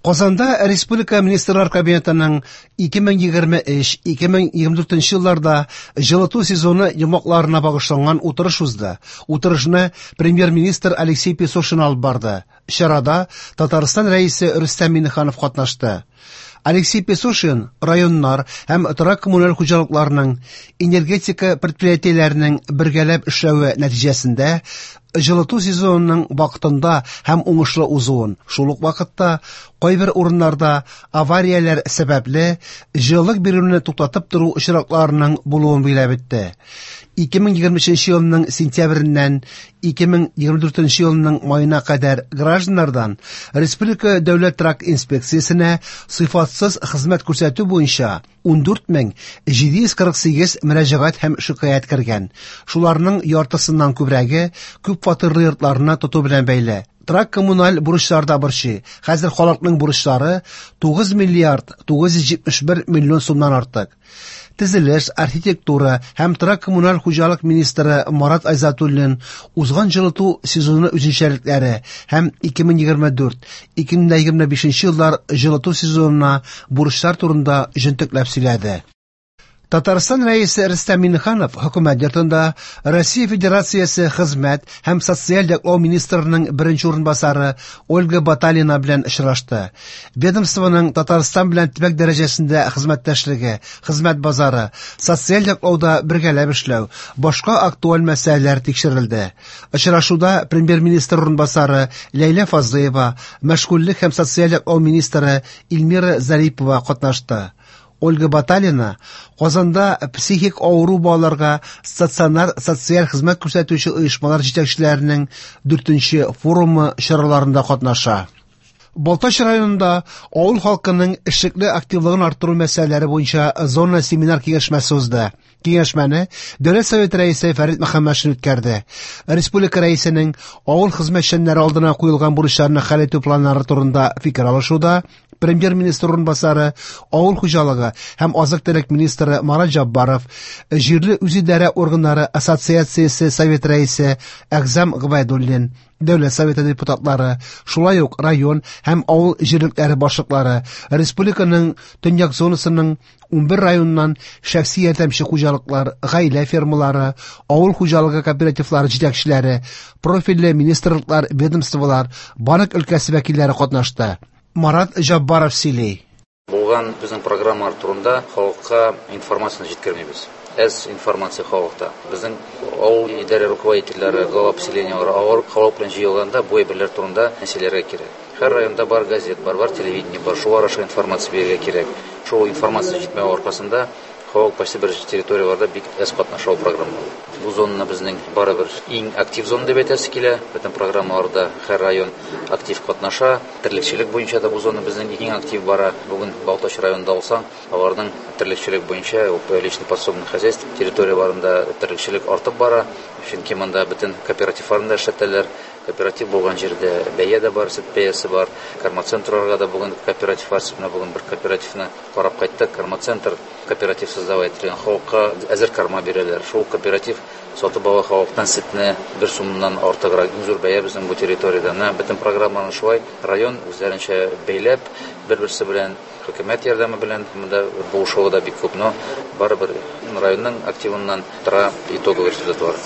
Казанда Республика Министрлар Кабинетының 2023-2024 елларда җылыту сезоны йомгакларына багышланган утырыш узды. Утырышны премьер-министр Алексей Песошин алып барды. Чарада Татарстан Рәисе Рөстәм Миңнеханов катнашты. Алексей Песошин районнар һәм торак коммуналь хуҗалыкларының, энергетика предприятиеләренең бергәләп эшләве нәтиҗәсендә җылыту сезонының вакытында һәм уңышлы узуын, шул ук вакытта кайбер урыннарда аварияләр сәбәпле җылылык бирүне туктатып тору очракларының булуын билгеләп үтте. 2023 елның сентябреннән 2024 елның маена кадәр гражданнардан Республика дәүләт торак инспекциясенә сыйфатсыз хезмәт күрсәтү буенча 14 748 мөрәҗәгать һәм шикаять кергән. Шуларның яртысыннан күбрәге күп фатирлы йортларны тоту белән бәйле. Торак коммуналь бурычлар да борчый. Хәзер халыкның бурычлары 9 миллиард 971 миллион сумнан артык. Төзелеш, архитектура һәм торак коммуналь хуҗалык министры Марат Айзатуллин узган җылыту сезоны үзенчәлекләре һәм 2024-2025 еллар җылыту сезонына бурычлар турында җентекләп сөйләде. Татарстан Рәисе Рөстәм Миңнеханов хөкүмәт йортында Россия Федерациясе хезмәт һәм социаль яклау министрының беренче урынбасары Ольга Баталина белән очрашты. Ведомствоның Татарстан белән төбәк дәрәҗәсендә хезмәттәшлеге, хезмәт базары, социаль яклауда бергәләп эшләү, башка актуаль мәсьәләләр тикшерелде. Очрашуда премьер-министр урынбасары Ләйлә Фазлыева, мәшгульлек һәм социаль яклау министры Эльмира Зарипова катнашты. Ольга Баталина Казанда психик авыру балаларга стационар социаль хезмәт күрсәтүче оешмалар җитәкчеләренең 4нче форумы чараларында катнаша. Балтач районында авыл халкының эшлекле активлыгын арттыру мәсьәләләре буенча зона семинар киңәшмәсе узды. Киңәшмәне Дәүләт Советы рәисе Фәрит Мөхәммәтшин үткәрде. Республика рәисенең авыл хезмәтчәннәре алдына куелган бурычларны хәл итү планнары турында фикер алышуда премьер-министр урынбасары, авыл хуҗалыгы һәм азык-төлек министры Марат Җаббаров, җирле үзидарә органнары ассоциациясе совет рәисе Әгъзам Гобәйдуллин, Дәүләт Советы депутатлары, шулай ук район һәм авыл җирлекләре башлыклары, республиканың төньяк зонасының 11 районыннан шәхси ярдәмче хуҗалыклар, гаилә фермалары, авыл хуҗалыгы кооперативлары җитәкчеләре, профильле министрлыклар, ведомстволар, банк өлкәсе вәкилләре катнашты. Марат Җаббаров сөйли. Булган безнең программалар турында халыкка информацияне җиткермибез. Әз информация халыкта. Безнең авыл идарә руководительләре, глава поселениеләре авыл халык белән җыелганда бу әйберләр турында сөйләргә кирәк. Һәр районда бар газет бар, бар телевидение бар, шулар аша информация бирергә кирәк. Шул информация җитмәү аркасында халык кайсы бер территорияләрдә бик әз катнаша ул программада. Бу зонаны безнең барыбер иң актив зона дип әйтәсе килә. Бөтен программаларда һәр район актив катнаша. Терлекчелек буенча да бу зона безнең иң актив бара. Бүген Балтач районында алсаң, аларның терлекчелек буенча личный подсобный хозяйство территорияләрендә терлекчелек артып бара. Чөнки монда бөтен кооперативларны да эшләтәләр. Кооператив булган җирдә бәя дә бар, сөт бәясе бар. Кормоцентрларга да бүген кооперативлар, менә бүген бер кооперативны карап кайттык. Кормоцентр кооператив создавать ителгән, халыкка әзер корма бирәләр. Шул кооператив сатып ала халыктан сөтне 1 сумнан артыграк. Иң зур бәя безнең бу территориядә. Менә бөтен программаны шулай район үзләренчә бәйләп, бер-берсе белән хөкүмәт ярдәме белән монда булышуы да бик күп, но барыбер районның активыннан тора итоговый результатлар.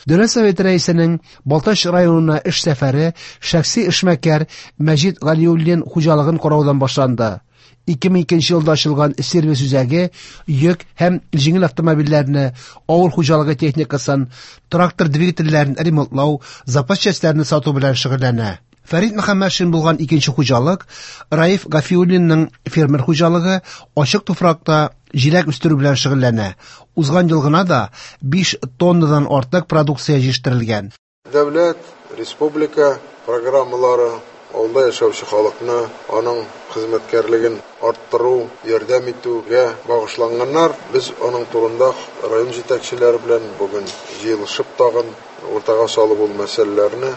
Дәүләт Советы рәисенең Балтач районына эш сәфәре шәхси эшмәкәр Мәҗит Галиуллин хуҗалыгын караудан башланды. 2002 елда ачылган сервис үзәге йөк һәм җиңел автомобильләрне, авыл хуҗалыгы техникасын, трактор двигательләрен ремонтлау, запас частьләрне сату белән шөгыльләнә. Фәрит Мөхәммәтшин булган икенче хуҗалык Раиф Гафиуллинның фермер хуҗалыгы ачык туфракта җиләк үстерү белән шөгыльләнә. Узган ел гына да 5 тоннадан артык продукция җитештерелгән. Дәүләт, республика программалары авылда яшәүче халыкны, аның хезмәткәрлеген арттыру, ярдәм итүгә багышланганнар. Без аның турында район җитәкчеләре белән бүген җыелышып тагын уртага салып ул мәсьәләләрне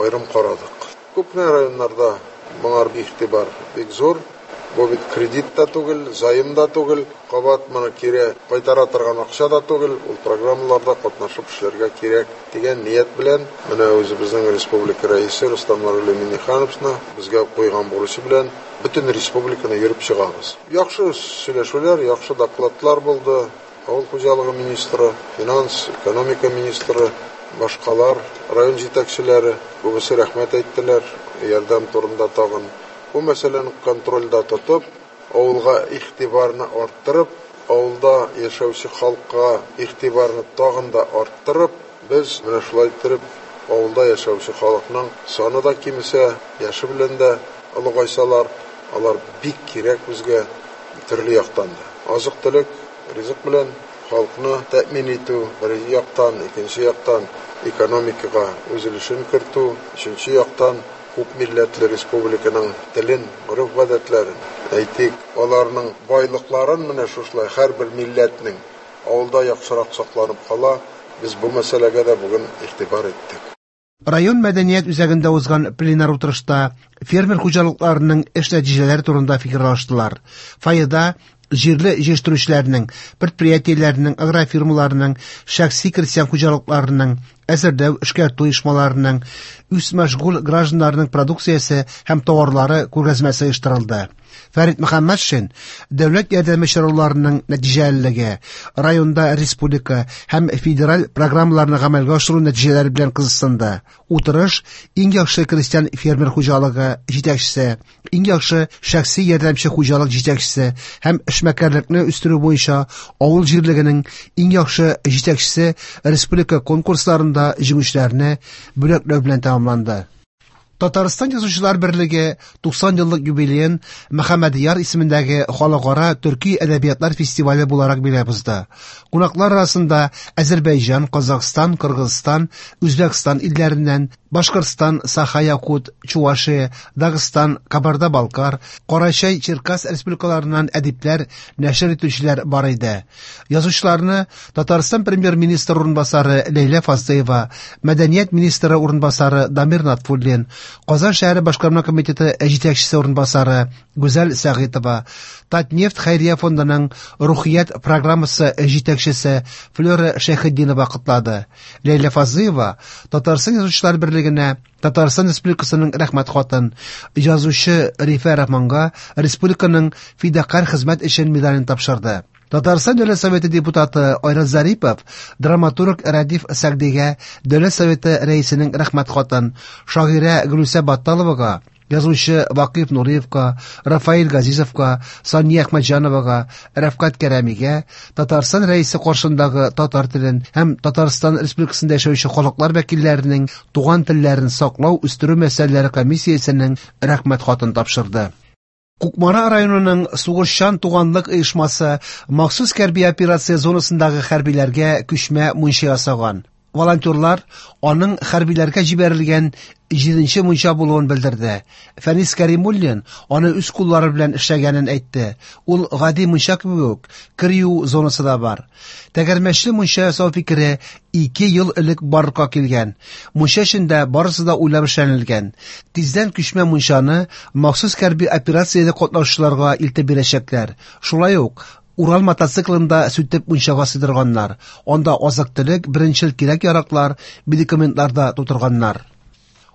аерым карадык. Күп кенә районнарда моңар игътибар бик зур. Бу бит кредит та түгел, заем да түгел, кабат моны кире кайтара торган акча да түгел, ул программаларда катнашып эшләргә кирәк дигән ният белән менә үзебезнең республика рәисе Рөстәм Нуруллин Миңнехановны безгә куйган бурычы белән бөтен республиканы йөреп чыгабыз. Яхшы сөйләшүләр, яхшы докладлар булды. Авыл хуҗалыгы министры, финанс, экономика министры, башкалар, район җитәкчеләре күбесе рәхмәт әйттеләр, ярдәм турында тагын. Бу мәсьәләне контрольдә тотып, авылга игътибарны арттырып, авылда яшәүче халыкка игътибарны тагын да арттырып, без менә шулай иттереп авылда яшәүче халыкның саны да кимесә, яше белән дә олыгайсалар, алар бик кирәк безгә төрле яктан да. Азык-төлек, ризык белән халыкны тәэмин итү бер яктан, икенче яктан экономикага үз өлешен кертү, өченче яктан күп милләтле республиканың телен, гореф-гадәтләрен, әйтик, аларның байлыкларын менә шушылай һәрбер милләтнең авылда яхшырак сакланып кала, без бу мәсьәләгә дә бүген игътибар иттек. Район мәдәният үзәгендә узган пленар утырышта фермер хуҗалыкларының эш нәтиҗәләре турында фикер алыштылар. Фойеда җирле җитештерүчеләрнең, предприятиеләрнең, агрофирмаларның, шәхси крестьян хуҗалыкларының, әзерләү, эшкәртү оешмаларының, үзмәшгуль гражданнарның продукциясе һәм товарлары күргәзмәсе оештырылды. Фәрит Мөхәммәтшин дәүләт ярдәме чараларының нәтиҗәлелеге, районда республика һәм федераль программаларны гамәлгә ашыру нәтиҗәләре белән кызыксынды. Утырыш иң яхшы крестьян фермер хуҗалыгы җитәкчесе, иң яхшы шәхси ярдәмче хуҗалык җитәкчесе һәм эшмәкәрлекне үстерү буенча авыл җирлегенең иң яхшы җитәкчесе республика конкурсларында җиңүчеләрне бүләкләү белән тәмамланды. Татарстан Язучылар берлеге 90 еллык юбилеен Мөхәммәдияр исемендәге халыкара төрки әдәбиятлар фестивале буларак билгеләп узды. Кунаклар арасында Әзербәйҗан, Казахстан, Кыргызстан, Үзбәкстан илләреннән, Башкортстан, Саха-Якут, Чувашия, Дагыстан, Кабарда-Балкар, Карачай-Черкас республикаларыннан әдипләр, нәшер итүчеләр бар иде. Язучыларны Татарстан премьер-министры урынбасары Ләйлә Фазлыева, мәдәният министры урынбасары Дамир Натфуллин, Казан шәһәре башкарма комитеты җитәкчесе урынбасары Гүзәл Сәгыйтова, Татнефть хәйрия фондының Рухият программасы җитәкчесе Флера Шәйхетдинова котлады. Ләйлә Фазлыева Татарстан Язучылар берлегенә Татарстан Республикасының рәхмәт хатын, язучы Рифә Рахманга республиканың фидакарь хезмәт өчен медален тапшырды. Татарстан Дәүләт Советы депутаты Айрат Зарипов драматург Рәдиф Сәгъдигә Дәүләт Советы рәисенең рәхмәт хатын, шагыйрә Гөлүсә Батталовага, язучы Вакыйф Нуриевка, Рафаэль Газизовка, Сания Әхмәтҗановага, Рәфкать Кәрәмигә Татарстан рәисе каршындагы татар телен һәм Татарстан Республикасында яшәүче халыклар вәкилләренең туган телләрен саклау, үстерү мәсьәләләре комиссиясенең рәхмәт хатын тапшырды. Кукмара районының Сугышчан туганлык оешмасы махсус хәрби операция зонасындагы хәрбиләргә күчмә мунча ясаган. Волонтерлар аның хәрбиләргә җибәрелгән 7нче мунча булуын белдерде. Фәнис Кәримуллин аны үз куллары белән эшләгәнен әйтте. Ул гади мунча кебек үк, кер юу зонасы да бар. Тәгәрмәчле мунча ясау фикере 2 ел элек барлыкка килгән. Мунча эчендә барысы да уйлап эшләнелгән. Тиздән күчмә мунчаны махсус хәрби операциядә катнашучыларга илтеп бирәчәкләр. Шулай ук Урал мотоциклында сүтеп мунчага сыйдырганнар. Анда азык-төлек, беренчел кирәк-яраклар, медикаментлар да тутырганнар.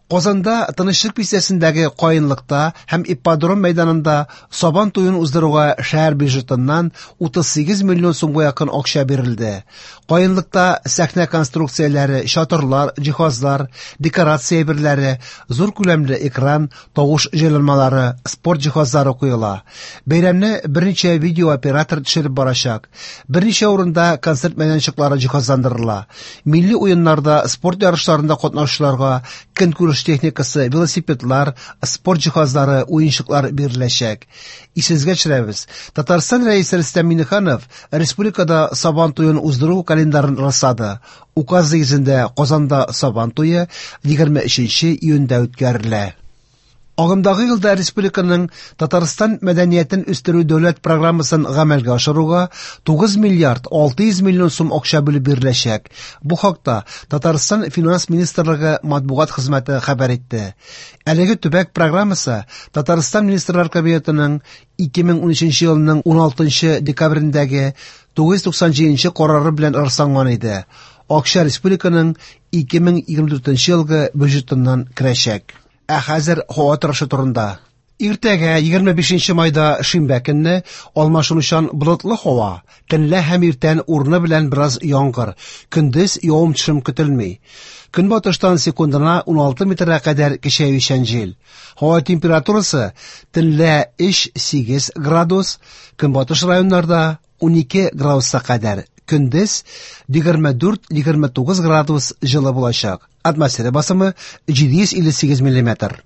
Казанда Тынычлык бистәсендәге Каенлыкта һәм Ипподром мәйданында Сабан туен уздыруга шәһәр бюджетыннан 38 миллион сумга якын акча бирелде. Каенлыкта сәхнә конструкцияләре, чатырлар, җиһазлар, декорация әйберләре, зур күләмле экран, тавыш җайланмалары, спорт җиһазлары куела. Бәйрәмне берничә видеооператор төшереп барачак. Берничә урында концерт мәйданчыклары җиһазландырыла. Милли уеннарда, спорт ярышларында катнашучыларга көнкүреш техникасы, велосипедлар, спорт җиһазлары, уенчыклар биреләчәк. Исегезгә төшерәбез, Татарстан Рәисе Рөстәм Миңнеханов республикада Сабан туен уздыру календарын раслады. Указ нигезендә Казанда Сабан туе 23 июньдә үткәрелә. Агымдагы елда республиканың Татарстан мәдәниятен үстерү дәүләт программасын гамәлгә ашыруга 9 миллиард 600 миллион сум акча бүлеп биреләчәк. Бу хакта Татарстан Финанс министрлыгы матбугат хезмәте хәбәр итте. Әлеге төбәк программасы Татарстан Министрлар Кабинетының 2013 елның 16 декабрендәге 997 карары белән расланган иде. Акча республиканың 2024 елгы бюджетыннан керәчәк. Ә хәзер һава торышы турында. Иртәгә 25 майда шимбә көнне алмашынучан болытлы һава, төнлә һәм иртән урыны белән бераз яңгыр, көндез явым-төшем көтелми. Көнбатыштан секундына 16 метрга кадәр көчәючән җил. Һава температурасы төнлә 3-8 градус, көнбатыш районнарда 12 градуска кадәр, көндез 24-29 градус җылы булачак. Атмосфера басымы 758 миллиметр.